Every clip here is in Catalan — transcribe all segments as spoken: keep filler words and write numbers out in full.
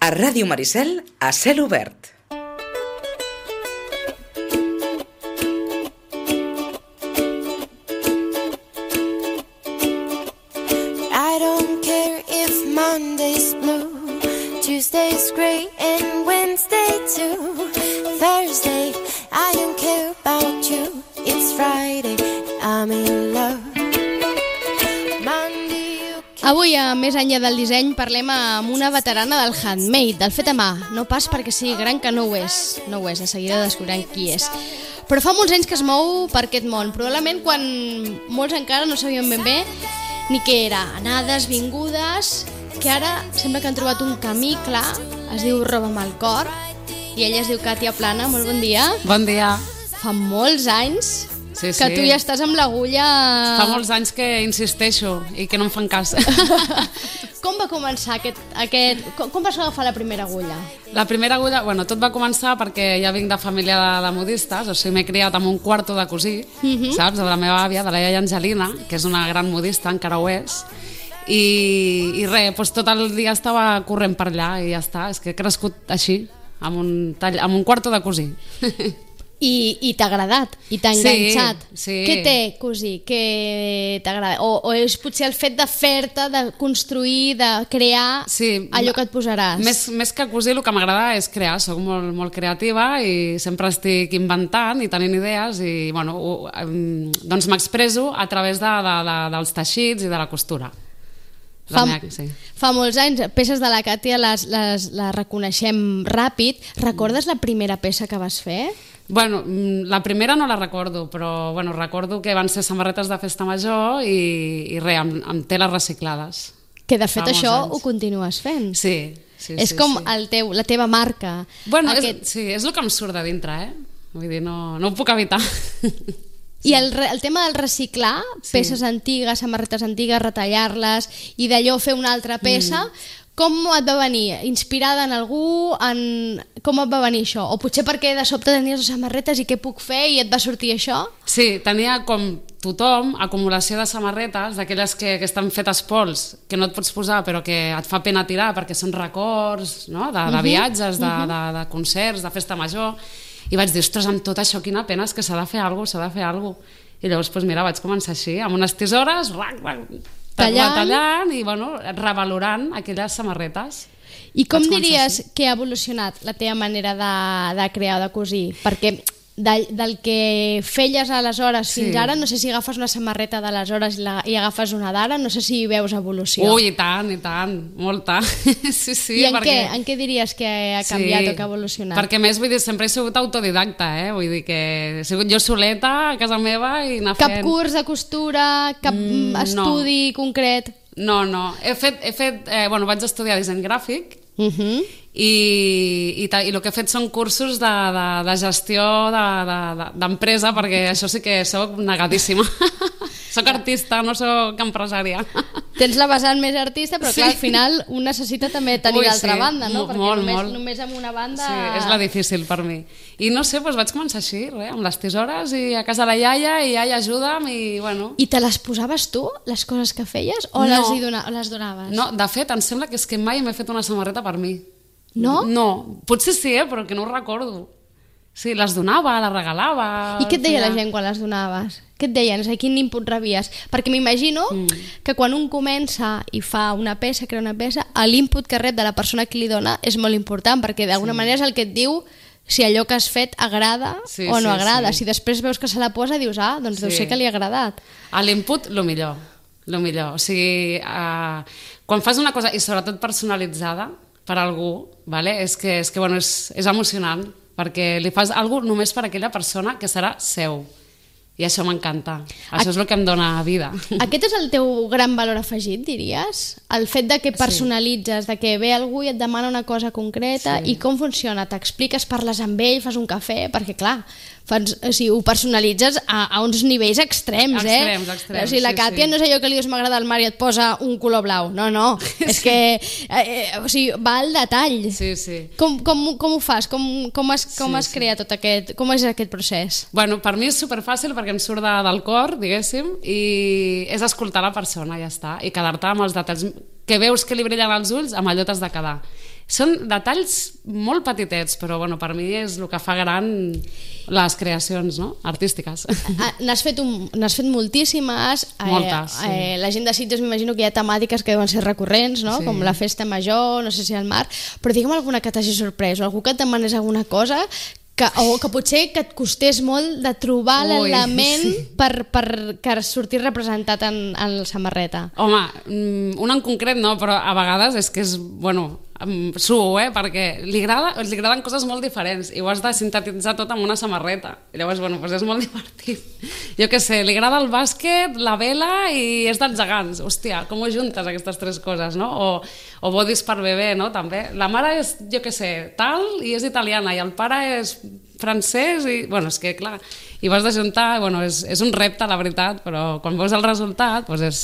A Ràdio Maricel, a cel obert. I don't care if Monday's blue, Tuesday's gray and Wednesday too. Thursday, I don't care about you. It's Friday, I'm in love. Avui, a Més enllà del disseny, parlem amb una veterana del handmade, del fet a mà. No pas perquè sigui gran, que no ho és. No ho és, de seguida descobriran qui és. Però fa molts anys que es mou per aquest món. Probablement quan molts encara no sabien ben bé ni què era. Anades, vingudes, que ara sembla que han trobat un camí clar. Es diu Roba'm el cor. I ella es diu Càtia Plana. Molt bon dia. Bon dia. Fa molts anys sí, que sí. tu ja estàs amb l'agulla... Fa molts anys que insisteixo i que no em fan cas. Com va començar aquest... aquest... Com, com vas agafar la primera agulla? La primera agulla... Bueno, tot va començar perquè ja vinc de família de, de modistes, o sigui, m'he criat amb un quarto de cosí, uh-huh. saps? De la meva àvia, de la iaia Angelina, que és una gran modista, encara ho és. I, i res, doncs tot el dia estava corrent per allà i ja està. És que he crescut així, amb un, tall, amb un quarto de cosí. I, i t'ha agradat, i t'ha enganxat. Sí, sí. Què té, cosí? Què t'agrada? O, o és potser el fet de fer-te, de construir, de crear sí, allò que et posaràs? Més, més que cosir, el que m'agrada és crear. Soc molt, molt creativa i sempre estic inventant i tenint idees i bueno, ho, doncs m'expresso a través de, de, de, dels teixits i de la costura. Fa, meva, sí. fa molts anys, peces de la Càtia les, les, les reconeixem ràpid. Recordes la primera peça que vas fer? Bueno, la primera no la recordo, però bueno, recordo que van ser samarretes de festa major i, i res, amb, amb teles reciclades. Que de fet això anys. Ho continues fent. Sí, sí, és sí. com sí. El teu, la teva marca. Bueno, Aquest... és, sí, és el que em surt de dintre, eh? Vull dir, no, no ho puc evitar. I el, el tema del reciclar, sí. Peces antigues, samarretes antigues, retallar-les i d'allò fer una altra peça, mm. com et va venir? Inspirada en algú? En... Com et va venir això? O potser perquè de sobte tenies les samarretes i què puc fer i et va sortir això? Sí, tenia com tothom acumulació de samarretes, d'aquelles que, que estan fetes pols, que no et pots posar però que et fa pena tirar perquè són records, no? de, de viatges, de, uh -huh. de, de concerts, de festa major. I vaig dir, ostres, amb tot això, quina pena, és que s'ha de fer alguna cosa, s'ha de fer alguna cosa. I llavors, doncs mira, vaig començar així, amb unes tisores, rac, rac, tallant, tallant i, bueno, revalorant aquelles samarretes. I com diries que ha evolucionat la teva manera de, de crear o de cosir? Perquè del, del que feies aleshores sí. fins ara, no sé si agafes una samarreta d'aleshores i, la, i agafes una d'ara, no sé si hi veus evolució. Ui, i tant, i tant, molta. Sí, sí, I en, perquè... què, en què diries que ha canviat sí, o que ha evolucionat? Perquè més, vull dir, sempre he sigut autodidacta, eh? Vull dir que he sigut jo soleta a casa meva i anar cap fent... Cap curs de costura, cap mm, estudi no. concret? No, no, he fet, he fet eh, bueno, vaig estudiar disseny gràfic uh-huh. i, i, i el que he fet són cursos de, de, de gestió d'empresa, de, de, perquè això sí que soc negadíssima. Soc artista, no soc empresària. Tens la vessant més artista, però clar, sí. Al final un necessita també tenir l'altra sí. banda, no? Molt, perquè molt, només, molt. només amb una banda... Sí, és la difícil per mi. I no sé, doncs vaig començar així, res, amb les tisores i a casa la iaia, i iaia ajuda'm i bueno... I te les posaves tu, les coses que feies, o no. les, hi dona, les donaves? No, de fet, em sembla que és que mai m'he fet una samarreta per mi. No? No, potser sí, eh, però que no ho recordo. Sí, les donava, les regalava... I què et deia la gent quan les donaves? Què et deien? O quin input rebies? Perquè m'imagino mm. que quan un comença i fa una peça, crea una peça, l'input que rep de la persona que li dona és molt important, perquè d'alguna sí. manera és el que et diu si allò que has fet agrada sí, o no sí, agrada. Sí. Si després veus que se la posa, dius, ah, doncs sí. deu ser que li ha agradat. A l'input, lo millor. Lo millor. O sigui, uh, quan fas una cosa, i sobretot personalitzada, per algú, vale? és que, és, que bueno, és, és emocionant, perquè li fas alguna cosa només per a aquella persona que serà seu. I això m'encanta. Això és el que em dona vida. Aquest és el teu gran valor afegit, diries? El fet de que personalitzes, sí. de que ve algú i et demana una cosa concreta, sí. I com funciona? T'expliques, parles amb ell, fas un cafè? Perquè clar, fas, o sigui, ho personalitzes a, a uns nivells extrems, eh? Extrems, extrems. O sigui, la Càtia sí, sí. no és allò que li dius m'agrada el mar i et posa un color blau. No, no. Sí. És que eh, o sigui, va al detall. Sí, sí. Com, com, com ho fas? Com, com has, com sí, has sí. creat tot aquest... Com és aquest procés? Bueno, per mi és superfàcil perquè em surt de, del cor, diguéssim, i és escoltar la persona, ja està, i quedar-te amb els detalls que veus que li brillen els ulls, amb allò t'has de quedar. Són detalls molt petitets, però bueno, per mi és el que fa gran les creacions, no? Artístiques. N'has fet, un, n'has fet moltíssimes. Moltes, sí. Eh, la gent de Sitges m'imagino que hi ha temàtiques que deuen ser recurrents, no? Sí. Com la festa major, no sé si al mar, però digue'm alguna que t'hagi sorprès, o algú que et demanés alguna cosa que, o que potser que et costés molt de trobar Ui, l'element sí. per, per que sortir representat en, en la samarreta. Home, un en concret no, però a vegades és que és, bueno, suo, eh? Perquè li, agrada, li agraden coses molt diferents i ho has de sintetitzar tot amb una samarreta. I llavors, bueno, doncs és molt divertit. Jo què sé, li agrada el bàsquet, la vela i és dels gegants. Hòstia, com ho juntes aquestes tres coses, no? O, o bodis per bebè, no? També. La mare és, jo què sé, tal i és italiana i el pare és francès i, bueno, és que clar, i vas de juntar, bueno, és, és un repte, la veritat, però quan veus el resultat, doncs és...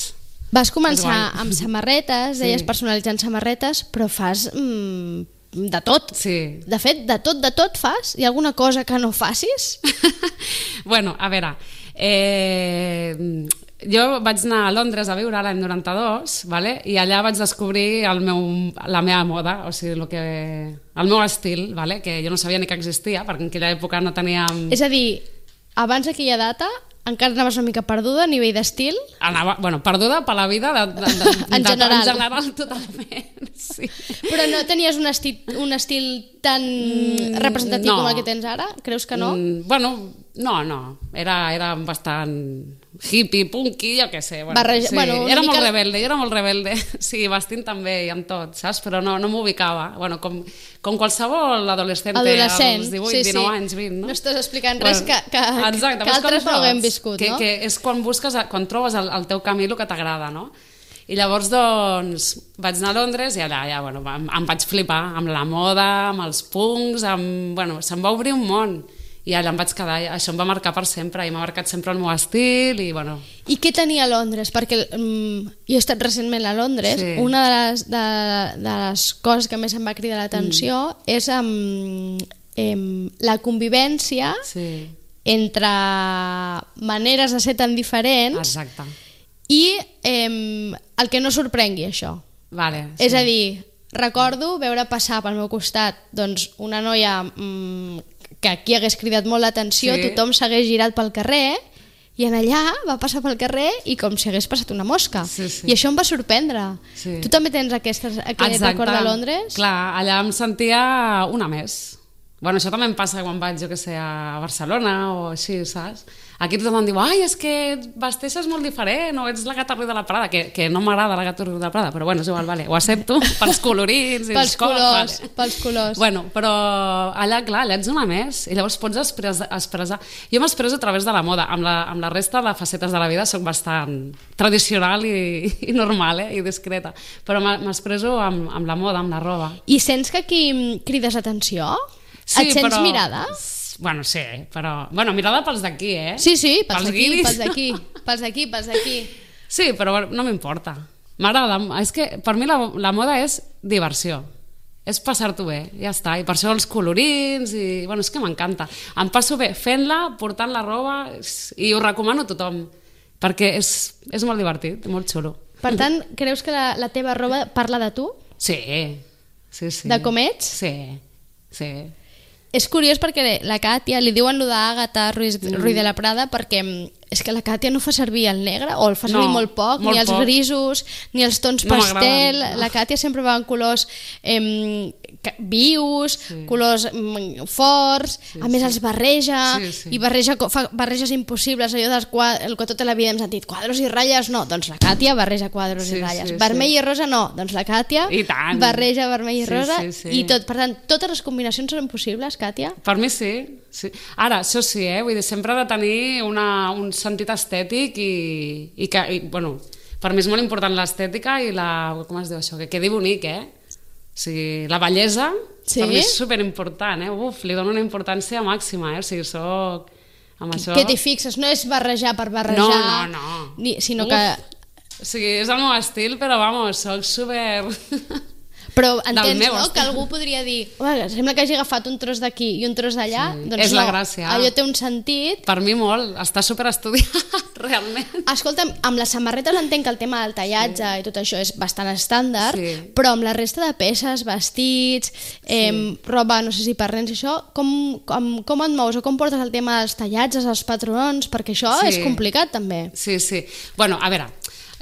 Vas començar amb samarretes, deies Sí. personalitzant samarretes, però fas mm, de tot. Sí. De fet, de tot, de tot fas? Hi ha alguna cosa que no facis? Bueno, a veure, eh, jo vaig anar a Londres a viure l'any noranta-dos, vale? I allà vaig descobrir el meu, la meva moda, o sigui, el, que, el meu estil, vale? Que jo no sabia ni que existia, perquè en aquella època no teníem... És a dir, abans d'aquella data encara anaves una mica perduda a nivell d'estil? Anava, bueno, perduda per la vida de, de, de, En de, general. en general totalment, sí. Però no tenies un estil, un estil tan representatiu no. com el que tens ara? Creus que no? Mm, bueno, no, no. Era, era bastant hippie, punky, jo què sé. Bueno, Barreja- sí. bueno, una era mica- molt rebelde, jo era molt rebelde. Sí, vestint també i amb tot, saps? Però no, no m'ubicava. Bueno, com, com qualsevol adolescente Adolescent, als divuit, sí, sí. dinou anys, vint, no? No estàs explicant res que, que, exacte, que veus com altres no haguem tots? viscut, que, no? Que és quan busques, quan trobes el, el teu camí el que t'agrada, no? I llavors, doncs, vaig anar a Londres i allà, ja, bueno, em, em vaig flipar amb la moda, amb els punks, amb... Bueno, se'm va obrir un món i allà em vaig quedar, això em va marcar per sempre i m'ha marcat sempre el meu estil i, bueno... I què tenia a Londres? Perquè um, jo he estat recentment a Londres, Sí. una de les, de, de les coses que més em va cridar l'atenció mm. és um, um, la convivència Sí, entre maneres de ser tan diferents exacte. i um, el que no sorprengui això. Vale, sí. És a dir, recordo veure passar pel meu costat doncs, una noia mm, que aquí hagués cridat molt l'atenció, Sí. tothom s'hagués girat pel carrer i en allà va passar pel carrer i com si hagués passat una mosca. Sí, sí. I això em va sorprendre. Sí. Tu també tens aquestes, aquest record de Londres? Clar, allà em sentia una més. Bueno, això també em passa quan vaig, jo que sé, a Barcelona o així, saps? Aquí tothom em diu, ai, és que vesteixes molt diferent, o ets la gata Ruiz de la Prada, que, que no m'agrada la gata Ruiz de la Prada, però bueno, és igual, vale, ho accepto, pels colorins i Pels els cops, colors, vale. pels colors. Bueno, però allà, clar, allà ets una més, i llavors pots expressar... expressar. Jo m'expresso a través de la moda, amb la, amb la resta de facetes de la vida soc bastant tradicional i, i normal, eh, i discreta, però m'expresso amb, amb la moda, amb la roba. I sents que aquí mm, crides atenció? Sí, Et sents però... mirada? Bueno, sí, però... Bueno, mirada pels d'aquí, eh? Sí, sí, pels d'aquí, guiris. pels d'aquí, pels d'aquí, pels d'aquí. Sí, però no m'importa. M'agrada. És que per mi la, la moda és diversió. És passar-t'ho bé, ja està. I per això els colorins i... Bueno, és que m'encanta. Em passo bé fent-la, portant la roba i ho recomano a tothom perquè és, és molt divertit, molt xulo. Per tant, creus que la, la teva roba parla de tu? Sí, sí, sí. De com ets? Sí, sí. És curiós perquè la Càtia, li diuen lo d'Àgata Ruiz, mm. Ruiz de la Prada perquè és que la Càtia no fa servir el negre o el fa servir No, molt poc, molt ni els poc. grisos ni els tons No pastel. m'agraden. La Càtia sempre va en colors em, ca- vius, Sí. colors em, forts, Sí, a més sí. els barreja Sí, sí. i barreja, co- fa barreges impossibles, allò dels quadres, el que tota la vida hem sentit, quadros i ratlles, no, doncs la Càtia barreja quadros Sí, i ratlles. sí, Vermell sí. i rosa no, doncs la Càtia I tant. barreja vermell i Sí, rosa sí, sí. i tot. Per tant, totes les combinacions són possibles, Càtia? Per mi sí, sí. Ara, això sí, eh? Vull dir, sempre ha de tenir una, un sentit estètic i, i que, i, bueno, per mi és molt important l'estètica i la... com es diu això? Que quedi bonic, eh? O sigui, la bellesa, Sí? per mi és superimportant, eh? Uf, li dono una importància màxima, eh? O sigui, soc... Amb això... Que t'hi fixes, no és barrejar per barrejar, No, no, no. Ni, sinó Uf. que... O sigui, és el meu estil, però vamos, soc super... Però entens, no?, que algú podria dir sembla que hagi agafat un tros d'aquí i un tros d'allà, sí, doncs és no, la gràcia. Allò té un sentit. Per mi molt, està superestudiat, realment. Escolta'm, amb les samarretes entenc que el tema del tallatge sí. i tot això és bastant estàndard, sí. però amb la resta de peces, vestits, eh, sí. roba, no sé si per nens i això, com, com, com et mous o com portes el tema dels tallatges, els patrons, perquè això sí. és complicat també. Sí, sí. Bueno, a veure,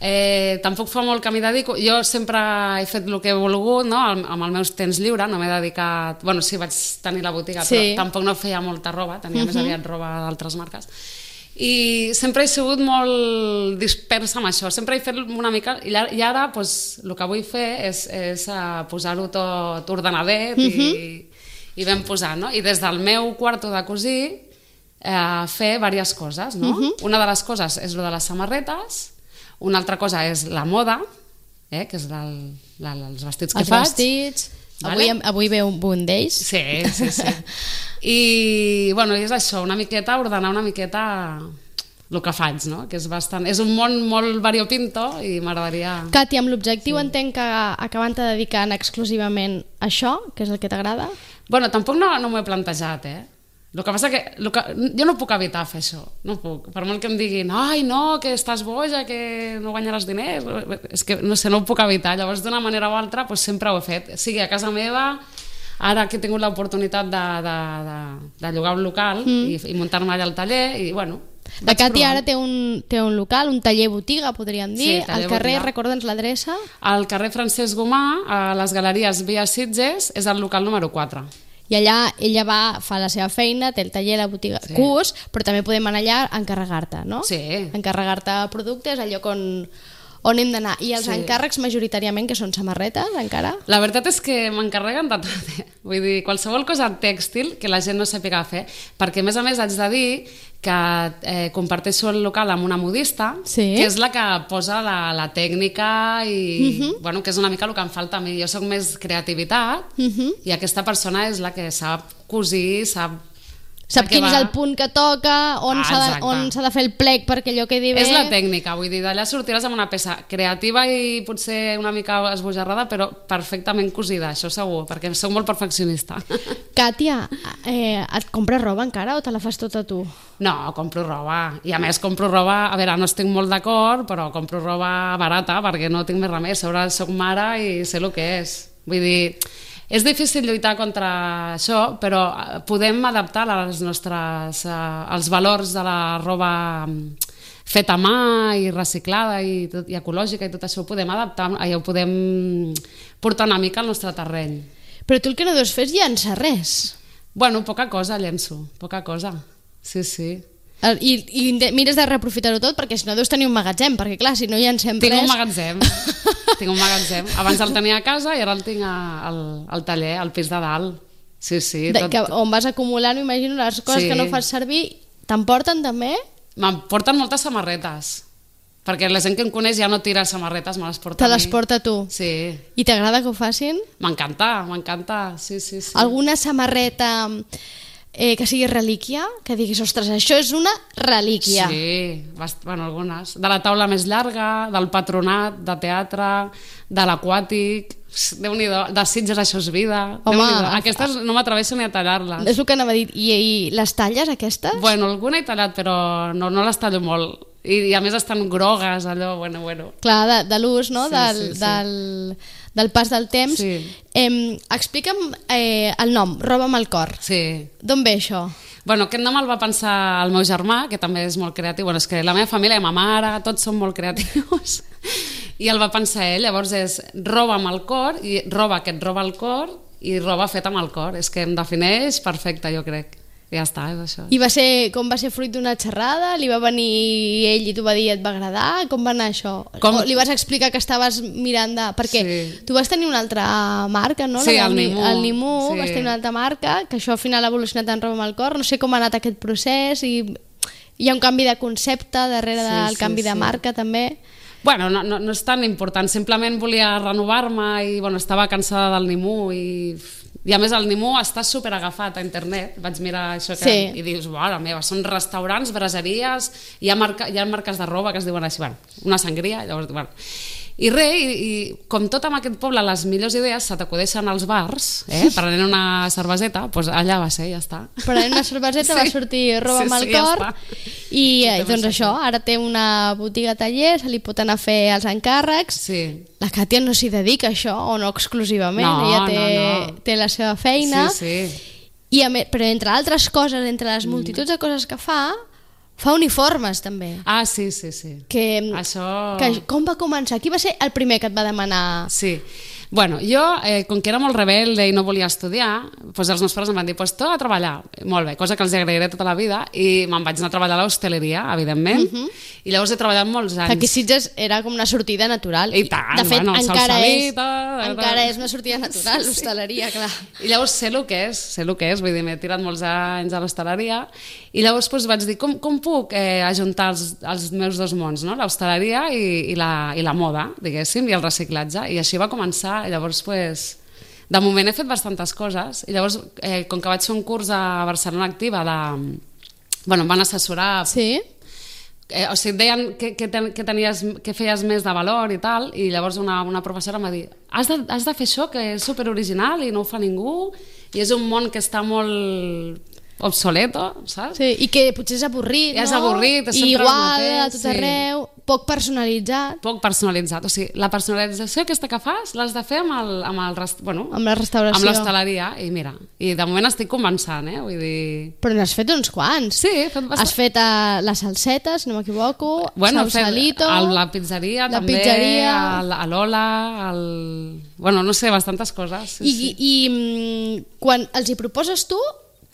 Eh, tampoc fa molt que m'hi dedico. Jo sempre he fet el que he volgut, no? Amb el meu temps lliure, no m'he dedicat... Bueno, sí, vaig tenir la botiga, sí. però tampoc no feia molta roba, tenia uh-huh. més aviat roba d'altres marques. I sempre he sigut molt dispersa amb això, sempre he fet una mica... I ara, pues, el que vull fer és, és posar-ho tot ordenadet uh-huh. i, i ben posat, no? I des del meu quarto de cosir eh, fer diverses coses, no? Uh-huh. Una de les coses és lo de les samarretes. Una altra cosa és la moda, eh, que és el, la, els vestits que els faig. Els vestits, vale? avui, avui ve un, un d'ells. Sí, sí, sí. I, bueno, és això, una miqueta, ordenar una miqueta el que faig, no? Que és bastant... És un món molt variopinto i m'agradaria... Cati, amb l'objectiu sí. entenc que acabant-te dedicant exclusivament a això, que és el que t'agrada? Bueno, tampoc no, no m'ho he plantejat, eh? El que passa que, el que jo no puc evitar fer això, no puc. Per molt que em diguin, ai no, que estàs boja, que no guanyaràs diners, és que no sé, no ho puc evitar. Llavors, d'una manera o altra, doncs, sempre ho he fet. Sigui a casa meva, ara que he tingut l'oportunitat de, de, de, de llogar un local mm. i, i muntar-me allà al taller, i bueno... La Cati ara té un, té un local, un taller botiga, podríem dir, sí, al carrer, recorda'ns l'adreça. Al carrer Francesc Gomà, a les Galeries Via Sitges, és el local número quatre. I allà ella va, fa la seva feina, té el taller, la botiga, sí. curs, però també podem anar allà a encarregar-te, no? Sí. Encarregar-te productes, al lloc on, on hem d'anar. I els sí. encàrrecs majoritàriament, que són samarretes, encara? La veritat és que m'encarreguen de tot. Vull dir, qualsevol cosa tèxtil que la gent no sàpiga fer, perquè a més a més haig de dir que eh, comparteixo el local amb una modista, sí. que és la que posa la, la tècnica i uh-huh. bueno, que és una mica el que em falta a mi. Jo soc més creativitat uh-huh. i aquesta persona és la que sap cosir, sap... Sap quin va... és el punt que toca, on ah, s'ha de, on s'ha de fer el plec perquè allò quedi bé. És la tècnica, vull dir, d'allà sortiràs amb una peça creativa i potser una mica esbojarrada, però perfectament cosida, això segur, perquè soc molt perfeccionista. Càtia, eh, et compres roba encara o te la fas tota tu? No, compro roba, i a més compro roba, a veure, no estic molt d'acord, però compro roba barata perquè no tinc més remei, sobre soc mare i sé el que és. Vull dir... És difícil lluitar contra això, però podem adaptar les nostres, eh, els valors de la roba feta a mà i reciclada i, tot, i ecològica i tot això ho podem adaptar, ho podem portar una mica al nostre terreny. Però tu el que no deus fer és llançar res. Bueno, poca cosa llenço, poca cosa, sí, sí. I, i mires de reaprofitar-ho tot perquè si no deus tenir un magatzem, perquè clar, si no llancem tinc res... Un magatzem, tinc un magatzem. Abans el tenia a casa i ara el tinc a, al, al taller, al pis de dalt. Sí, sí. De, tot... que, on vas acumulant, m'imagino, les coses sí. que no fas servir, t'emporten també? M'emporten moltes samarretes, perquè la gent que em coneix ja no tira samarretes, me les porta Te a mi. les porta tu? Sí. I t'agrada que ho facin? M'encanta, m'encanta, sí, sí, sí. Alguna samarreta... Eh, que sigui relíquia, que diguis, ostres, això és una relíquia. Sí, bast... bueno, algunes. De la taula més llarga, del patronat, de teatre, de l'aquàtic, Déu-n'hi-do, de Sitges això és vida. Home, aquestes no m'atreveixo ni a tallar-les. És el que anava a dir. I, i les talles, aquestes? Bueno, alguna he tallat, però no, no les tallo molt. I, I a més estan grogues, allò, bueno, bueno. Clar, de, de l'ús, no? Sí, del, sí, sí. Del, del pas del temps. Sí. Eh, explica'm eh, el nom, Roba amb el cor. Sí. D'on ve això? Bueno, aquest nom el va pensar el meu germà, que també és molt creatiu. Bueno, és que la meva família, ma mare, tots són molt creatius. I el va pensar ell. Llavors és roba amb el cor, i roba que et roba el cor, i roba feta amb el cor. És que em defineix perfecte, jo crec. I ja està, és això. I va ser, com va ser fruit d'una xerrada? Li va venir ell i t'ho va dir i et va agradar? Com va anar això? Com... O li vas explicar que estaves mirant de... Perquè sí. tu vas tenir una altra marca, no? Sí, el, el Nimú. El Nimú, sí. vas tenir una altra marca, que això al final ha evolucionat en roba amb el cor. No sé com ha anat aquest procés i hi ha un canvi de concepte darrere sí, del canvi sí, de marca sí. també. Bueno, no, no, no és tan important, simplement volia renovar-me i bueno, estava cansada del Nimú i... I a més el Nimú està super agafat a internet, vaig mirar això que... sí. i dius, mare meva, són restaurants, braseries, hi ha, marca, hi ha marques de roba que es diuen així, bueno, una sangria, llavors, bueno. I res, i, i com tot en aquest poble, les millors idees se t'acudeixen als bars, eh? Prenent una cerveseta, doncs allà va ser, ja està. Prenent una cerveseta, sí. Va sortir roba sí, amb el sí, cor, ja i eh, doncs això, ara té una botiga taller, se li pot anar a fer els encàrrecs. Sí. La Càtia no s'hi dedica a això, o no exclusivament, no, ella té, no, no. té la seva feina. Sí, sí. I a més, però entre altres coses, entre les multituds de coses que fa, fa uniformes també. Ah, sí, sí, sí. Que, Això... que com va començar? Qui va ser el primer que et va demanar? Sí. Bueno, jo, eh, com que era molt rebelde i no volia estudiar, doncs els meus pares em van dir, pues tu a treballar. Molt bé, cosa que els agrairé tota la vida, i me'n vaig anar a treballar a l'hostaleria, evidentment, uh -huh. i llavors he treballat molts anys. Aquí Sitges era com una sortida natural. I tant, de fet, bueno, encara, és, salsalita, encara és una sortida natural, sí, sí. l'hostaleria, clar. I llavors sé el que és, sé el que és, vull dir, m'he tirat molts anys a l'hostaleria, i llavors doncs, vaig dir, com, com puc eh, ajuntar els, els meus dos mons, no? L'hostaleria i, i, la, i la moda, diguéssim, i el reciclatge, i així va començar. Llavors, pues, de moment he fet bastantes coses, i llavors, eh, com que vaig fer un curs a Barcelona Activa, de, bueno, em van assessorar... Sí? Eh, o sigui, et deien que, que, ten, que, tenies, que feies més de valor i tal, i llavors una, una professora em va dir, has de, has de fer això, que és superoriginal i no ho fa ningú, i és un món que està molt obsoleto, saps? Sí, i que potser és avorrit, I és no? avorrit, és I sempre igual, el mateix, a tot sí. arreu, poc personalitzat. Poc personalitzat, o sigui, la personalització aquesta que fas l'has de fer amb el, amb el rest... bueno, Amb la restauració. amb l'hostaleria, i mira, i de moment estic començant, eh? Vull dir... Però n'has fet uns quants. Sí, he fet bastant. Has fet uh, la salseta, si no m'equivoco, bueno, Sausalito... El, la pizzeria la també, pizzeria... el, a l'Ola, el... bueno, no sé, bastantes coses. Sí, I, sí. i mm, quan els hi proposes tu,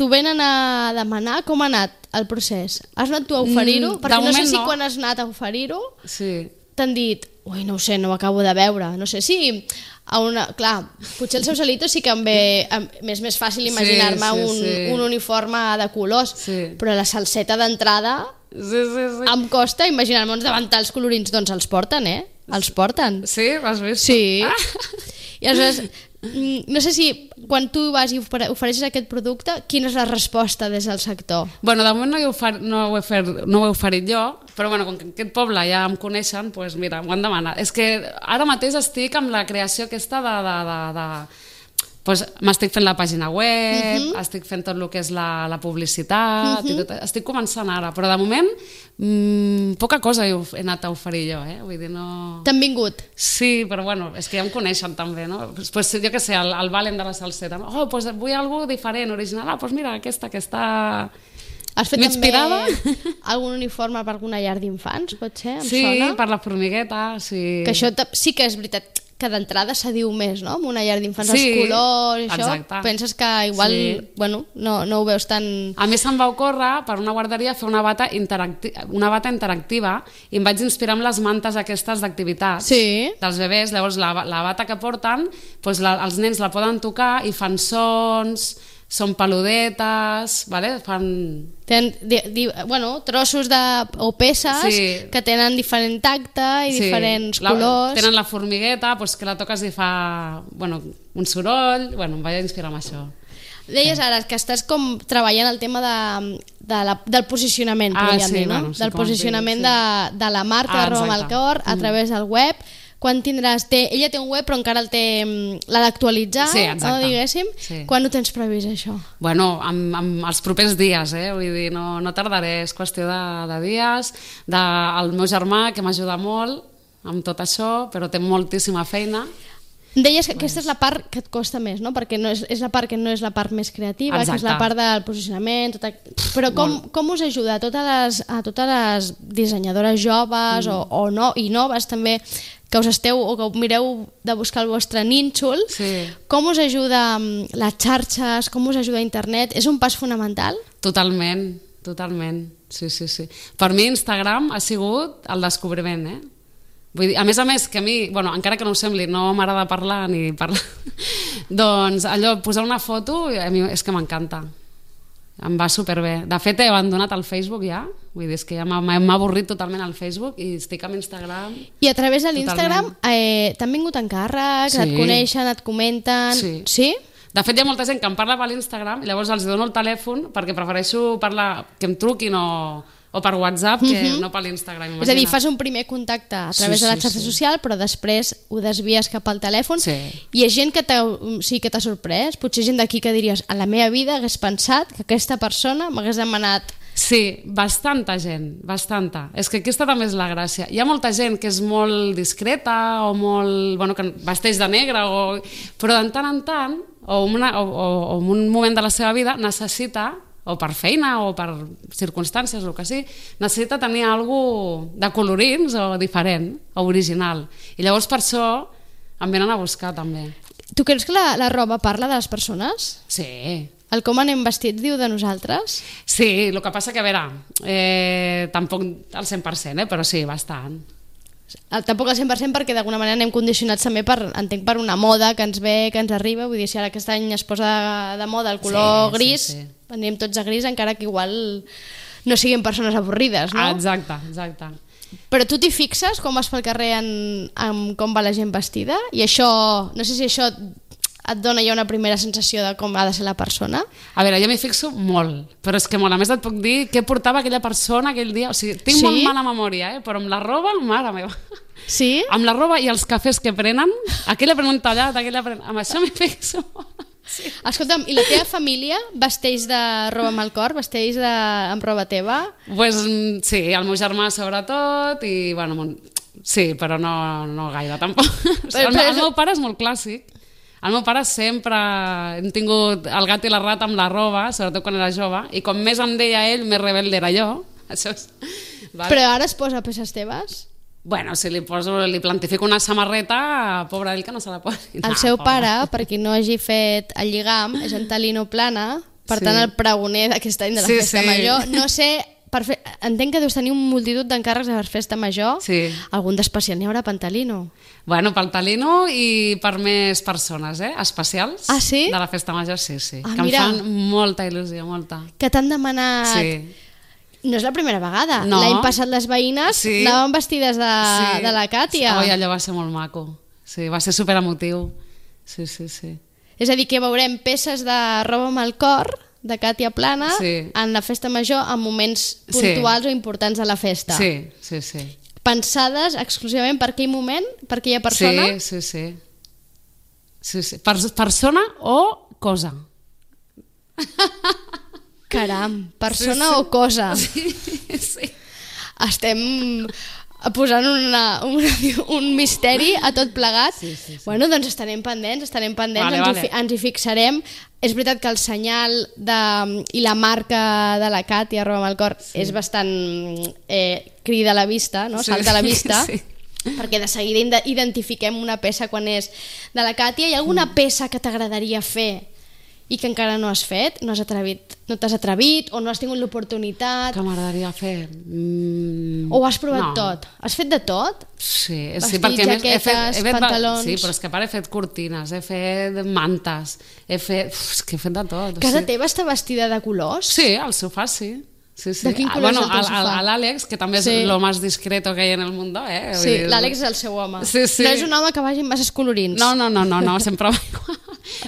t'ho venen a demanar com ha anat el procés? Has anat tu a oferir-ho? Mm, Perquè no sé si no. quan has anat a oferir-ho Sí. t'han dit, ui, no ho sé, no ho acabo de veure, no sé si... A una, clar, potser el Sausalito sí que em ve, em, és més fàcil imaginar-me sí, sí, un, sí. un uniforme de colors, Sí. però la salseta d'entrada Sí, sí, sí. em costa imaginar-me uns davantals colorins, doncs els porten, eh? Els porten. Sí, l'has vist? Sí. Ah. I aleshores, mm, no sé si quan tu vas i ofere- ofereixes aquest producte, quina és la resposta des del sector? Bueno, de moment no, he ofert, no, ho he fer, no ho he oferit jo, però bueno, com que en aquest poble ja em coneixen, doncs mira, m'ho han demanat. És que ara mateix estic amb la creació aquesta de... de, de, de pues, m'estic fent la pàgina web, uh-huh. estic fent tot el que és la, la publicitat, uh-huh. i tot, estic començant ara, però de moment mmm, poca cosa he, he anat a oferir jo, eh? Vull dir, no... T'han vingut? Sí, però bueno, és que ja em coneixen també, no? Pues, pues, jo què sé, el, el Valen de la salseta, no? Oh, pues vull algo diferent, original, ah, pues mira, aquesta que està... Has fet m'inspirava. també algun uniforme per alguna llar d'infants, pot ser? Em Sí, sona? per la formigueta, sí. Que això ta- sí que és veritat que d'entrada se diu més, no? Amb una llar d'infants, Sí, els colors, això, exacte. penses que igual, Sí. bueno, no, no ho veus tan... A mi se'm va ocórrer per una guarderia fer una bata, interacti una bata interactiva i em vaig inspirar amb les mantes aquestes d'activitats Sí. dels bebès. Llavors la, la bata que porten, doncs la, els nens la poden tocar i fan sons, són peludetes, vale? Fan... Tenen, di, di, bueno, trossos de, o peces Sí. que tenen diferent tacte i Sí, diferents la, colors. Tenen la formigueta, doncs que la toques i fa bueno, un soroll, bueno, em vaig inspirar amb això. Deies ara que estàs com treballant el tema de, de la, del posicionament, Ah, podríem sí, dir, no? bueno, sí, del com es posicionament digui, de, de la marca Ah, de Roba amb el exacte. cor a Mm. través del web. Quan tindràs... Té, ella té un web, però encara el té... mm, l'ha d'actualitzar, Sí, no, exacte. diguéssim. Sí. Quan ho tens previst, això? Bueno, amb, amb els propers dies, eh? Vull dir, no, no tardaré, és qüestió de, de dies, del meu germà, que m'ajuda molt amb tot això, però té moltíssima feina. Deies que aquesta és la part que et costa més, no? Perquè no és, és la part que no és la part més creativa, Exacte. que és la part del posicionament... Tota... Però com, com us ajuda a totes les, a totes les dissenyadores joves mm. o, o no, i noves també, que us esteu o que mireu de buscar el vostre nínxol, Sí. com us ajuda mm, les xarxes, com us ajuda internet? És un pas fonamental? Totalment, totalment, sí, sí, sí. Per mi Instagram ha sigut el descobriment, eh? Vull dir, a més a més, que a mi, bueno, encara que no ho sembli, no m'agrada parlar ni parlar, doncs allò, posar una foto, a mi és que m'encanta. Em va superbé. De fet, he abandonat el Facebook ja, vull dir, és que ja m'ha m'ha avorrit totalment el Facebook i estic amb Instagram. I a través de l'Instagram eh, t'han vingut encàrrecs, Sí. et coneixen, et comenten... Sí. Sí? De fet, hi ha molta gent que em parla per l'Instagram i llavors els dono el telèfon perquè prefereixo parlar, que em truquin o, o per WhatsApp, que mm-hmm. no per l'Instagram. És a dir, fas un primer contacte a través sí, sí, de la xarxa sí. social, però després ho desvies cap al telèfon. Sí. Hi ha gent que t'ha sí, que t'ha sorprès, potser gent d'aquí que diries a la meva vida hagués pensat que aquesta persona m'hagués demanat. Sí, bastanta gent, bastanta. És que aquesta també és la gràcia. Hi ha molta gent que és molt discreta o molt, bueno, que vesteix de negre, o... però de tant en tant, o, una, o, o, o en un moment de la seva vida, necessita, o per feina o per circumstàncies, o que sí, necessita tenir alguna de colorins o diferent, o original. I llavors per això em venen a buscar també. Tu creus que la, la roba parla de les persones? Sí. El com anem vestits diu de nosaltres? Sí, el que passa que, a veure, eh, tampoc al cent per cent, eh, però sí, bastant. El, tampoc al cent per cent perquè d'alguna manera anem condicionats també per, entenc, per una moda que ens ve, que ens arriba. Vull dir, si ara aquest any es posa de, de moda el color sí, gris, sí, sí. Anem tots a gris, encara que igual no siguin persones avorrides, no? Ah, exacte, exacte. Però tu t'hi fixes quan vas pel carrer en, en com va la gent vestida? I això, no sé si això et dona ja una primera sensació de com ha de ser la persona? A veure, jo m'hi fixo molt, però és que molt, a més et puc dir què portava aquella persona aquell dia, o sigui, tinc sí? molt mala memòria, eh? Però amb la roba, mare meva. Sí? Amb la roba i els cafès que prenen, aquella pren un tallat, aquella pren... Amb això m'hi fixo. Sí. Escolta'm, i la teva família vesteix de roba amb el cor? Vesteix de... amb roba teva? Pues, sí, el meu germà sobretot, i bueno, mon... sí, però no, no gaire tampoc. Però, el, el meu pare és molt clàssic. El meu pare sempre hem tingut el gat i la rata amb la roba, sobretot quan era jove, i com més em deia ell, més rebelde era jo. Això és... vale. Però ara es posa peces teves? Bueno, si li, poso, li plantifico una samarreta, pobre ell que no se la posi. El no, seu pobre. Pare, per qui no hagi fet el lligam, és en Talino Plana, per sí. tant el pregoner d'aquest any de la sí, Festa sí. Major. No sé... Per fe... Entenc que deus tenir un multitud d'encàrrecs de Festa Major. Sí. Algun d'especial n'hi haurà per Talino? Bueno, pel Talino i per més persones, eh? Especials. Ah, sí? De la Festa Major, sí, sí. Ah, que mira. em fan molta il·lusió, molta. Que t'han demanat... Sí. No és la primera vegada. No. L'any passat les veïnes sí. anaven vestides de, sí. de la Càtia. Oi, allò va ser molt maco. Sí, va ser superemotiu. Sí, sí, sí. És a dir, que veurem peces de roba amb el cor de Càtia Plana sí. en la Festa Major en moments puntuals sí. o importants de la festa. Sí, sí, sí. Pensades exclusivament per aquell moment, per aquella persona? Sí, sí, sí. sí, sí. Per, persona o cosa. Caram, persona sí, sí. o cosa. Sí, sí. Estem posant una, una, un misteri a tot plegat. Sí, sí, sí. Bueno, doncs estarem pendents, estarem pendents, vale, ens, vale. Hi, ens hi fixarem. És veritat que el senyal de, i la marca de la Càtia, roba amb el cor, sí. és bastant eh, crida a la vista, no? Sí, salta a la vista, sí. perquè de seguida identifiquem una peça quan és de la Càtia. Hi ha alguna mm. peça que t'agradaria fer i que encara no has fet? No has atrevit, no t'has atrevit o no has tingut l'oportunitat? Que m'agradaria fer? Mm, o ho has provat no. tot? Has fet de tot? Sí, Vestits, sí perquè jaquetes, he fet, he fet, pantalons... Sí, però és que a part he fet cortines, he fet mantes, he fet... Uf, és que he fet de tot. Casa sí. teva està vestida de colors? Sí, al sofà sí. Sí, sí. De quin color bueno, és el teu sofà? L'Àlex, que també és sí. lo más discreto que hi ha en el mundo, eh? Sí, l'Àlex és el seu home. Sí, sí. No és un home que vagi amb masses colorins. No, no, no, no, no sempre va igual.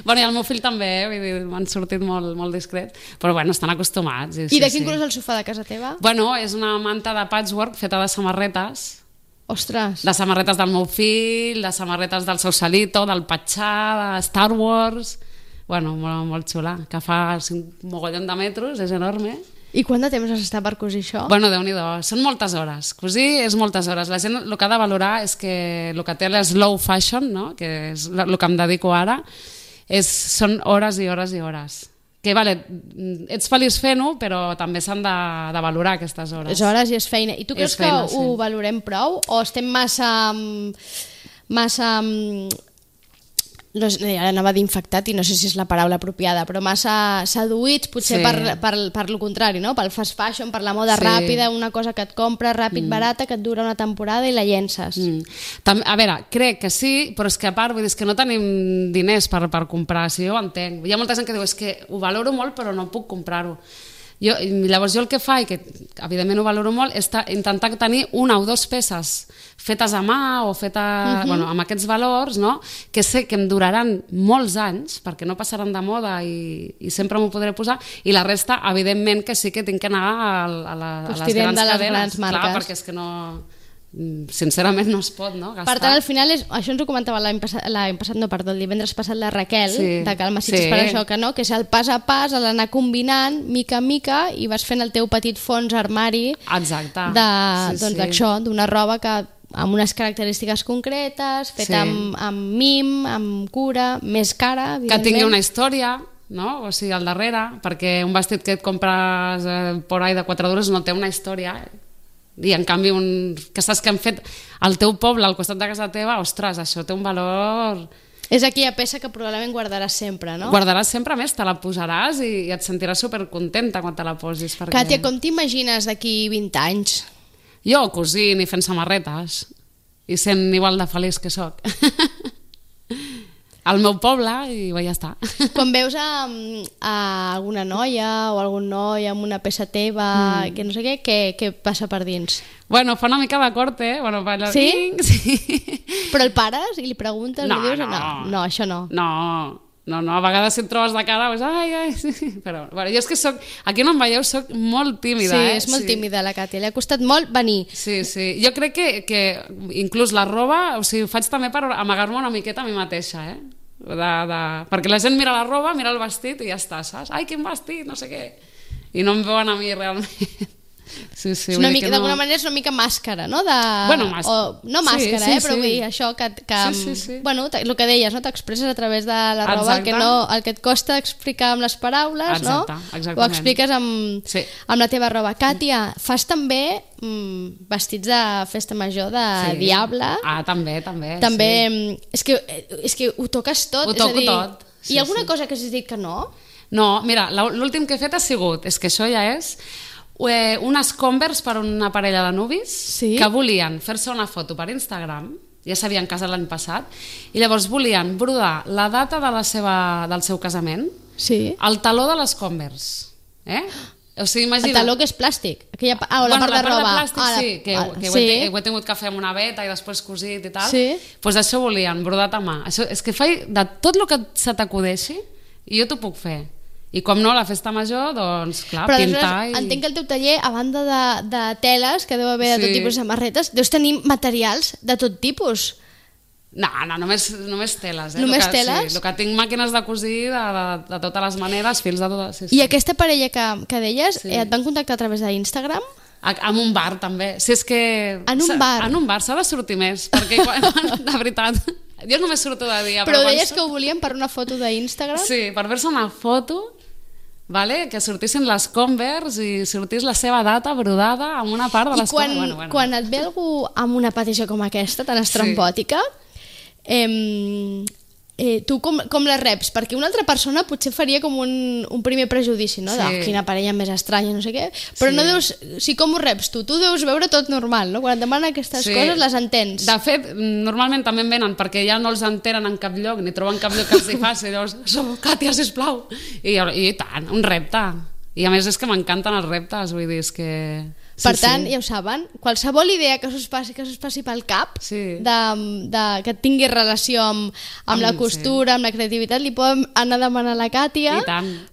Bueno, i el meu fill també, eh? Vull dir, m'han sortit molt, molt discret, però bueno, estan acostumats. I, I sí, de quin sí. color és el sofà de casa teva? Bueno, és una manta de patchwork feta de samarretes. Ostres. De samarretes del meu fill, de samarretes del Sausalito, del Patxà, de Star Wars... Bueno, molt, molt xula, que fa un mogollon de metros, és enorme. I quant de temps has estat per cosir això? Bueno, Déu-n'hi-do, són moltes hores. Cosir és moltes hores. La gent el que ha de valorar és que el que té la slow fashion, no? Que és el que em dedico ara, és, són hores i hores i hores. Que vale, ets feliç fent-ho, però també s'han de, de valorar aquestes hores. És hores i és feina. I tu creus feina, que sí. ho valorem prou? O estem massa... massa... No, ara anava d'infectat i no sé si és la paraula apropiada, però massa seduïts potser sí. per, per, per lo contrari, no? Pel fast fashion, per la moda sí. ràpida, una cosa que et compres ràpid, mm. barata, que et dura una temporada i la llences. Mm. També, a veure, crec que sí, però és que a part vull dir, és que no tenim diners per, per comprar, si jo ho entenc. Hi ha molta gent que diu és que ho valoro molt però no puc comprar-ho. Jo, llavors jo el que fa, i que evidentment ho valoro molt, és intentar tenir una o dues peces fetes a mà o fetes, uh-huh. bueno, amb aquests valors, no? Que sé que em duraran molts anys, perquè no passaran de moda i, i sempre m'ho podré posar, i la resta, evidentment, que sí que tinc que anar a, a, la, a les grans de les cadenes. Grans marques. Clar, perquè és que no... sincerament no es pot, no? Gastar. Per tant, al final, és, això ens ho comentava l'any passat, l'any passat, no, perdó, el divendres passat la Raquel, sí, de Calma Sitges, sí. per això que no, que és el pas a pas, l'anar combinant mica a mica i vas fent el teu petit fons armari. Exacte. De, sí, doncs sí. això, d'una roba que amb unes característiques concretes, feta sí. amb, amb mim, amb cura, més cara, que tingui una història, no? O sigui, al darrere, perquè un vestit que et compres eh, por ahí de quatre duros no té una història, i en canvi un, que saps que han fet al teu poble, al costat de casa teva, ostres, això té un valor... És aquella peça que probablement guardaràs sempre, no? Guardaràs sempre, més, te la posaràs i, i et sentiràs supercontenta quan te la posis. Perquè... Càtia, com t'imagines d'aquí vint anys? Jo cosint i fent samarretes i sent igual de feliç que sóc. Al meu poble i ja està. Quan veus a, a alguna noia o algun noi amb una peça teva, mm. que no sé què, què, què passa per dins? Bueno, fa una mica de corte, bueno, bailar... Sí? Sí? Però el pares i li preguntes? No, li dius, no. no. No, això no. No, no, no, a vegades si et trobes de cara, doncs, ai, ai, sí, però... Bueno, jo és que soc... Aquí no em veieu, soc molt tímida, sí, eh? és molt sí. tímida la Càtia, li ha costat molt venir. Sí, sí, jo crec que, que inclús la roba, o sigui, ho faig també per amagar-me una miqueta a mi mateixa, eh? De, de... perquè la gent mira la roba, mira el vestit i ja està, saps? Ai, quin vestit, no sé què. I no em veuen a mi realment. Sí, sí, una mica, no... d'alguna manera és una mica màscara, no? De... Bueno, màscara. O, no màscara, sí, sí, eh? Però sí. vull dir, això que... que sí, sí, sí. Bueno, el que deies, no? T'expresses a través de la roba el que, no, el que et costa explicar amb les paraules, exacte, no? Exactament. Ho expliques amb, sí. amb la teva roba. Càtia, fas també mm, vestits de festa major de sí. Diable. Ah, també, també. També, sí. és, que, és que ho toques tot. Ho toco és a dir, tot. Sí, hi ha alguna sí. cosa que has dit que no? No, mira, l'últim que he fet ha sigut, és que això ja és... Eh, unes Converse per una parella de nuvis sí? que volien fer-se una foto per Instagram, ja s'havien casat l'any passat, i llavors volien brodar la data de la seva, del seu casament, sí? el taló de les Converse. Eh? O sigui, imagina... El taló que és plàstic. Aquella... Ah, o la bueno, part de roba. La part de plàstic, ah, sí, que, ah, que sí. Ho, he, ho he tingut que fer amb una veta i després cosit i tal. Sí. Pues això volien, brodat a mà. Això, és que faig de tot el que se t'acudeixi i jo t'ho puc fer. I com no, la festa major, doncs, clar, però pintar i... entenc que el teu taller, a banda de, de teles, que deu haver de sí. tot tipus de samarretes, deus tenir materials de tot tipus. No, no, només, només teles. Eh? Només que, teles? Sí, el que tinc màquines de cosir de, de, de totes les maneres, fils de totes... Sí, sí. I aquesta parella que, que deies, sí. eh, et van contactar a través d'Instagram? En un bar, també. Si és que... En un bar? En un bar, s'ha de sortir més, perquè, quan, de veritat, jo només surto de dia. Però, però deies quan... que ho volien per una foto d'Instagram? Sí, per fer-se una foto... Vale? Que sortissin les Converse i sortís la seva data brodada en una part de les I quan, bueno, bueno. quan et ve algú amb una petició com aquesta, tan estrambòtica, sí. eh, eh, tu com, com la reps? Perquè una altra persona potser faria com un, un primer prejudici, no? Sí. De oh, quina parella més estranya, no sé què, però sí. no deus... Si com ho reps tu? Tu deus veure tot normal, no? Quan et demanen aquestes sí. coses les entens. De fet, normalment també en venen perquè ja no els entenen en cap lloc, ni troben cap lloc que els hi faci, llavors, som Càtia, sisplau. I, i tant, un repte. I a més és que m'encanten els reptes, vull dir, és que... Sí, per tant, sí. ja ho saben, qualsevol idea que us passi, que us passi pel cap, sí. de, de, que tingui relació amb, amb, amb la costura, sí. amb la creativitat, li podem anar a demanar a la Càtia,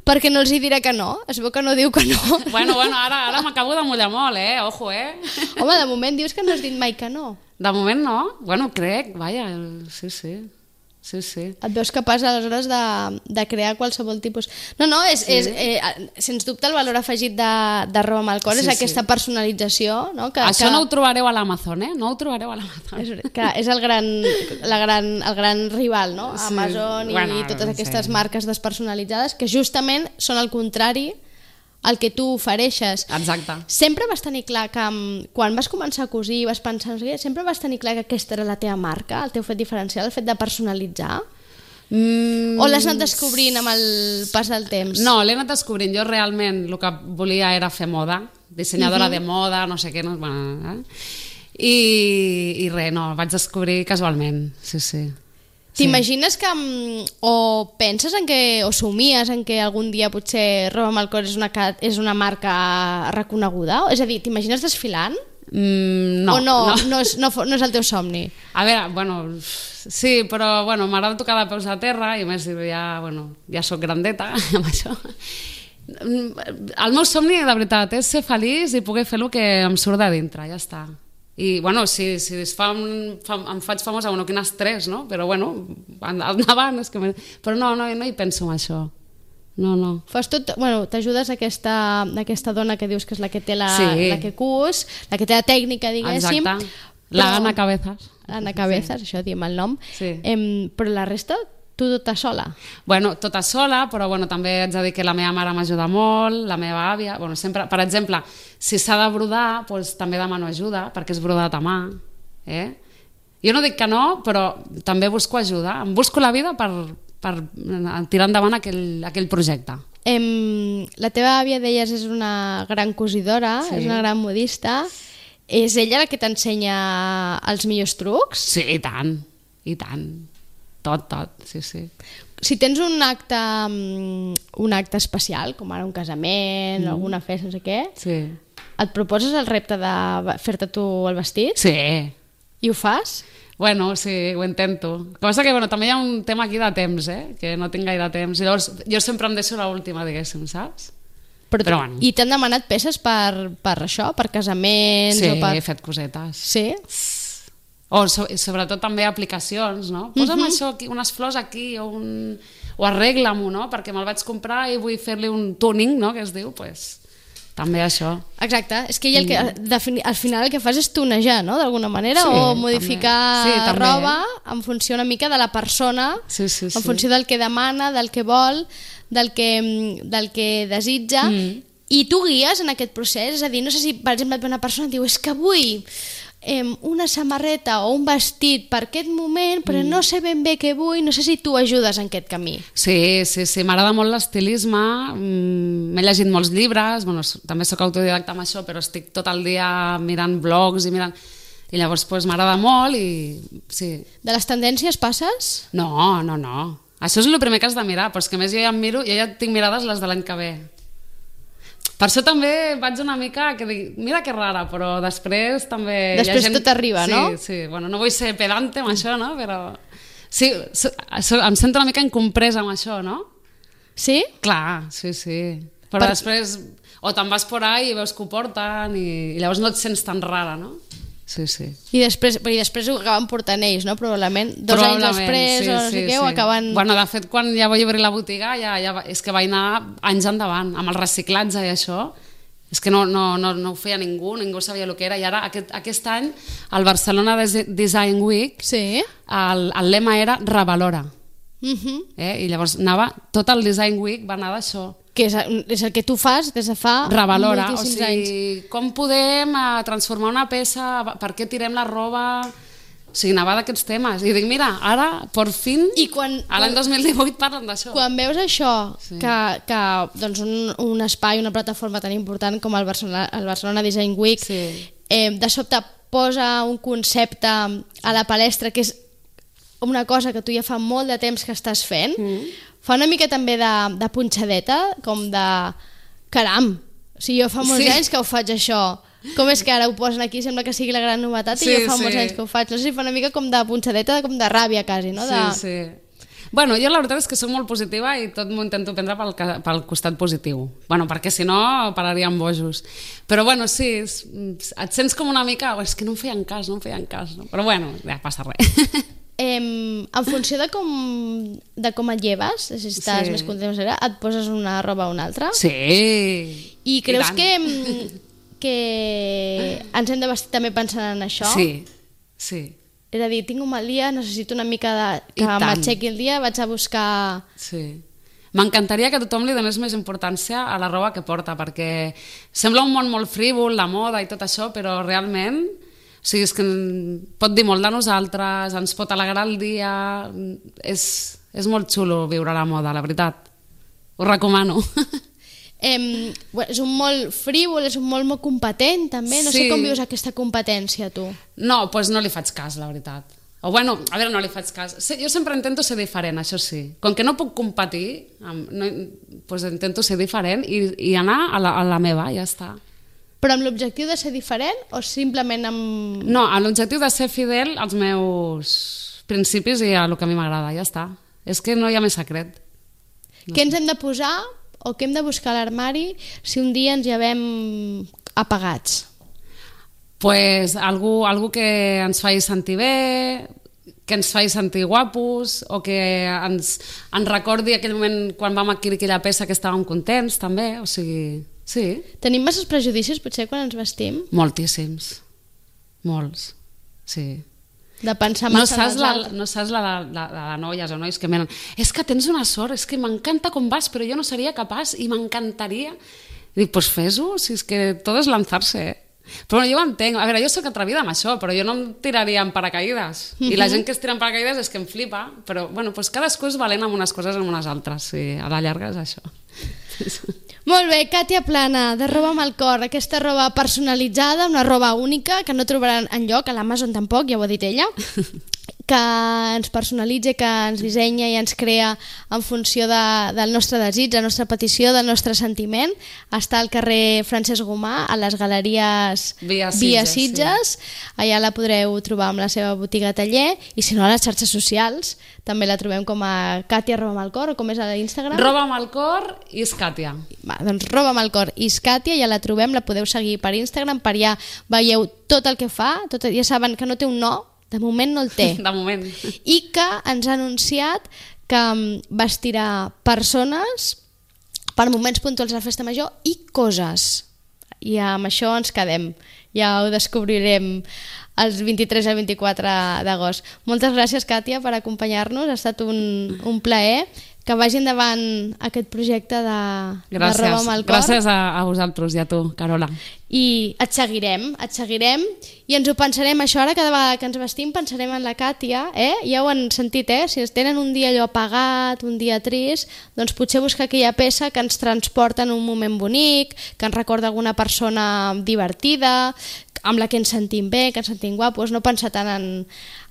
perquè no els hi dirà que no. Es veu que no diu que no. Bueno, bueno, ara, ara m'acabo de mullar molt, eh? Ojo, eh? Home, de moment dius que no has dit mai que no. De moment no. Bueno, crec, vaja, sí, sí. Sí, sí. Et veus capaç aleshores de, de crear qualsevol tipus... No, no, és, sí. és eh, sens dubte el valor afegit de, de roba amb el cor, sí, és aquesta sí. personalització, no? Que, Això que... no ho trobareu a l'Amazon, eh? No ho trobareu a l'Amazon. És, que és el gran, la gran, el gran rival, no? Sí. Amazon i bueno, totes aquestes sí. marques despersonalitzades que justament són el contrari el que tu ofereixes. Exacte. Sempre vas tenir clar que quan vas començar a cosir, vas pensar, sempre vas tenir clar que aquesta era la teva marca, el teu fet diferencial, el fet de personalitzar? Mm. O l'has anat descobrint amb el pas del temps? No, l'he anat descobrint. Jo realment el que volia era fer moda, dissenyadora uh-huh. de moda, no sé què, no, bueno, eh? I, i res, no, vaig descobrir casualment, sí, sí. T'imagines que... o penses en que... o somies en que algun dia potser Roba amb el cor és una, és una marca reconeguda? És a dir, t'imagines desfilant? Mm, no, o no, no. No, és, no, no és el teu somni? A veure, bueno, sí, però bueno, m'agrada tocar de peus a terra i a més ja, bueno, ja soc grandeta amb això. El meu somni, de veritat, és ser feliç i poder fer el que em surt de dintre, ja està. I, bueno, si, si es fa un, fa, em faig famosa, bueno, quin estrès, no? Però, bueno, endavant, és que... Me... Però no, no, no hi penso en això. No, no. Fas tot, bueno, t'ajudes aquesta, aquesta dona que dius que és la que té la, sí. la que cus, la que té la tècnica, diguéssim. Exacte. La però... Ana Cabezas. Ana Cabezas, sí. Això diem el nom. Sí. Em, però la resta, tu tota sola? Bueno, tota sola, però bueno, també haig de dir que la meva mare m'ajuda molt, la meva àvia... Bueno, sempre, per exemple, si s'ha de brodar, doncs, també demano ajuda, perquè és brodat a mà. Eh? Jo no dic que no, però també busco ajuda. Em busco la vida per... per tirar endavant aquell, aquell projecte. Em, la teva àvia, deies, és una gran cosidora, sí. És una gran modista. És ella la que t'ensenya els millors trucs? Sí, i tant, i tant. Tot, tot, sí, sí. Si tens un acte, un acte especial, com ara un casament, mm. alguna festa, no sé què, sí. Et proposes el repte de fer-te tu el vestit? Sí. I ho fas? Bueno, sí, ho intento. El que passa que bueno, també hi ha un tema aquí de temps, eh? Que no tinc gaire temps. I llavors jo sempre em deixo l'última, diguéssim, saps? Però, Però bueno. I t'han demanat peces per, per això? Per casaments? Sí, o per... he fet cosetes. Sí? O so, sobretot també aplicacions, no? Posa'm uh -huh. això aquí, unes flors aquí, o, un... o arregla-m'ho, no? Perquè me'l vaig comprar i vull fer-li un tuning, no? Que es diu, pues... També això. Exacte, és que ell el que, al final el que fas és tunejar, no?, d'alguna manera, sí, o modificar també. Sí, també. roba en funció una mica de la persona, sí, sí, en sí. funció del que demana, del que vol, del que, del que desitja, mm. i tu guies en aquest procés, és a dir, no sé si, per exemple, una persona et diu, és que vull eh, una samarreta o un vestit per aquest moment, però mm. no sé ben bé què vull, no sé si tu ajudes en aquest camí. Sí, sí, sí, m'agrada molt l'estilisme, m'he llegit molts llibres, bueno, també sóc autodidacta amb això, però estic tot el dia mirant blogs i mirant... I llavors pues, m'agrada molt i... Sí. De les tendències passes? No, no, no. Això és el primer que has de mirar, però és que a més jo ja em miro, jo ja tinc mirades les de l'any que ve. Per això també vaig una mica que dic, mira que rara, però després també... Després hi ha gent... tot arriba, sí, no? Sí, bueno, no vull ser pedante amb això, no? Però sí, so, so, em sento una mica incompresa amb això, no? Sí? Clar, sí, sí. Però per... després, o te'n vas por ahí i veus que ho porten i, i llavors no et sents tan rara, no? Sí, sí. I després, i després ho acaben portant ells, no? Probablement. Dos Probablement, anys després sí, o no sé sí, què, sí. ho acaben... Bueno, de fet, quan ja vaig obrir la botiga, ja, ja, és que vaig anar anys endavant, amb el reciclatge i això. És que no, no, no, no ho feia ningú, ningú sabia el que era. I ara, aquest, aquest any, al Barcelona Design Week, sí. el, el lema era Revalora. Uh-huh. eh? I llavors anava, tot el Design Week va anar d'això. Que és, és el que tu fas des de fa Revalora, o moltíssims sigui, anys. com podem uh, transformar una peça, per què tirem la roba... O sigui, anava d'aquests temes. I dic, mira, ara, per fin, I quan, a l'any dos mil divuit parlen d'això. Quan veus això, Sí. que, que doncs un, un espai, una plataforma tan important com el Barcelona, el Barcelona Design Week, Sí. eh, de sobte posa un concepte a la palestra que és una cosa que tu ja fa molt de temps que estàs fent, mm. fa una mica també de, de punxadeta, com de caram, o sigui, jo fa molts Sí. anys que ho faig això, com és que ara ho posen aquí, sembla que sigui la gran novetat, Sí, i jo fa sí. molts anys que ho faig, no sé si fa una mica com de punxadeta, com de ràbia quasi, no? De... Sí, sí. Bueno, jo la veritat és que soc molt positiva i tot m'ho intento prendre pel, pel costat positiu. Bueno, perquè si no pararíem bojos. Però bueno, sí, és, et sents com una mica, oh, és que no em feien cas, no em feien cas, no? Però bueno, ja passa res. Eh, en funció de com, de com et lleves, si estàs Sí. més content, et poses una roba o una altra. Sí. I creus I que, que ens hem de vestir també pensant en això? Sí, sí. És a dir, tinc un mal dia, necessito una mica de, que I tant. m'aixequi el dia, vaig a buscar... Sí. M'encantaria que tothom li donés més importància a la roba que porta, perquè sembla un món molt frívol, la moda i tot això, però realment, o sigui, és que pot dir molt de nosaltres, ens pot alegrar el dia, és, és molt xulo viure la moda, la veritat. Ho recomano. Eh, és un molt frívol, és un molt molt competent també, no Sí. sé com vius aquesta competència tu. No, doncs no li faig cas, la veritat. O bueno, a veure, no li faig cas. Jo sempre intento ser diferent, això sí. Com que no puc competir, no, doncs intento ser diferent i, i anar a la, a la meva, ja està. Però amb l'objectiu de ser diferent o simplement amb... No, amb l'objectiu de ser fidel als meus principis i a el que a mi m'agrada, ja està. És que no hi ha més secret. No què ens hem de posar o què hem de buscar a l'armari si un dia ens llevem apagats? Pues algú, algú que ens faci sentir bé, que ens faci sentir guapos, o que ens, ens recordi aquell moment quan vam adquirir aquella peça que estàvem contents, també, o sigui, sí. Tenim masses prejudicis, potser, quan ens vestim? Moltíssims. Molts, sí. De pensar no massa saps en els la, altres. no saps la, la, la, la de noies o nois que menen, és que tens una sort, és que m'encanta com vas, però jo no seria capaç i m'encantaria. I dic, pues fes-ho, si és que tot és lanzar-se, eh? Però bueno, jo ho entenc, a veure, jo soc atrevida amb això, però jo no em tiraria en paracaïdes, uh-huh. I la gent que es tira en paracaïdes és que em flipa, però bueno, pues cadascú és valent amb unes coses i amb unes altres, i a la llarga és això. Molt bé, Katia Plana, de Roba amb el cor, aquesta roba personalitzada, una roba única que no trobaran enlloc, a l'Amazon tampoc, ja ho ha dit ella, que ens personalitza, que ens dissenya i ens crea en funció de, del nostre desig, la nostra petició, del nostre sentiment. Està al carrer Francesc Gomà, a les galeries Via Sitges, Via Sitges. Sí. Allà la podreu trobar amb la seva botiga taller, i si no a les xarxes socials també la trobem com a Katia Roba amb el cor, o com és a l'Instagram? Roba amb el cor i és Katia. Va, doncs Roba amb el cor i és Katia, ja la trobem, la podeu seguir per Instagram, per allà veieu tot el que fa, tot, ja saben que no té un no, de moment no el té. De moment. I que ens ha anunciat que vestirà persones per moments puntuals de la festa major i coses. I amb això ens quedem. Ja ho descobrirem els vint-i-tres i el vint-i-quatre d'agost. Moltes gràcies, Katia, per acompanyar-nos. Ha estat un, un plaer. Que vagi endavant aquest projecte de, gràcies, de Roba amb el cor. Gràcies a, a vosaltres i a tu, Carola. I et seguirem, et seguirem i ens ho pensarem, això ara cada vegada que ens vestim pensarem en la Katia, eh? Ja ho han sentit, eh? Si tenen un dia allò apagat, un dia trist, doncs potser buscar aquella peça que ens transporta en un moment bonic, que ens recorda alguna persona divertida, amb la que ens sentim bé, que ens sentim guapos, no pensar tant en,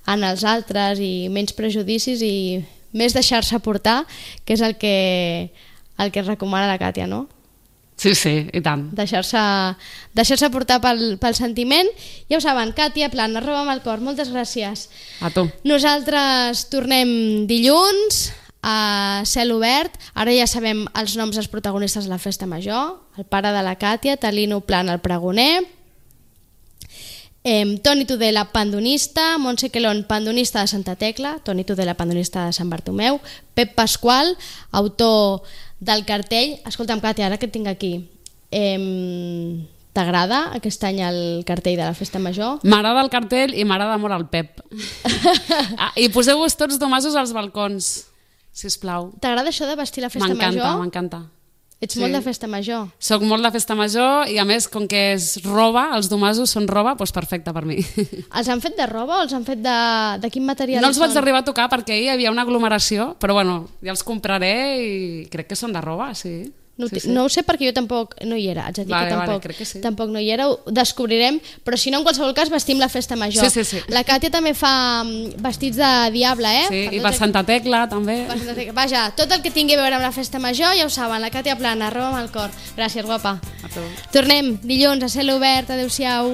en els altres i menys prejudicis i més deixar-se portar, que és el que, el que recomana la Katia, no? Sí, sí, i tant. Deixar-se deixar-se portar pel, pel sentiment. Ja ho saben, Katia Plana, Roba amb el cor, moltes gràcies. A tu. Nosaltres tornem dilluns a cel obert. Ara ja sabem els noms dels protagonistes de la festa major. El pare de la Katia, Talino Plana, el pregoner, Eh, Toni Tudela, pandonista, Montse Quelón, pandonista de Santa Tecla, Toni Tudela, pandonista de Sant Bartomeu, Pep Pasqual, autor del cartell. Escolta'm, Katia, ara que et tinc aquí, eh, t'agrada aquest any el cartell de la festa major? M'agrada el cartell i m'agrada molt el Pep. Ah, i poseu-vos tots domasos als balcons, sisplau. T'agrada això de vestir la festa major? M'encanta, m'encanta. Ets Sí. molt de festa major. Soc molt de festa major i a més, com que és roba, els domasos són roba, doncs perfecte per mi. Els han fet de roba o els han fet de, de quin material No els vaig són? arribar a tocar perquè ahir hi havia una aglomeració, però bueno, ja els compraré i crec que són de roba, sí. No, sí, sí, sí. no ho sé perquè jo tampoc no hi era, haig de dir Vale, que vale, tampoc, crec que sí. tampoc no hi era, ho descobrirem, però si no, en qualsevol cas vestim la festa major. Sí, sí, sí. La Katia també fa mm, vestits de diable, eh? Sí, Per i tots per aqu- Santa Tecla també. per Santa Tecla. Vaja, tot el que tingui a veure amb la festa major, ja ho saben, la Katia Plana, Roba amb el cor. Gràcies, guapa. A tu. Tornem dilluns a cel obert, adeu-siau.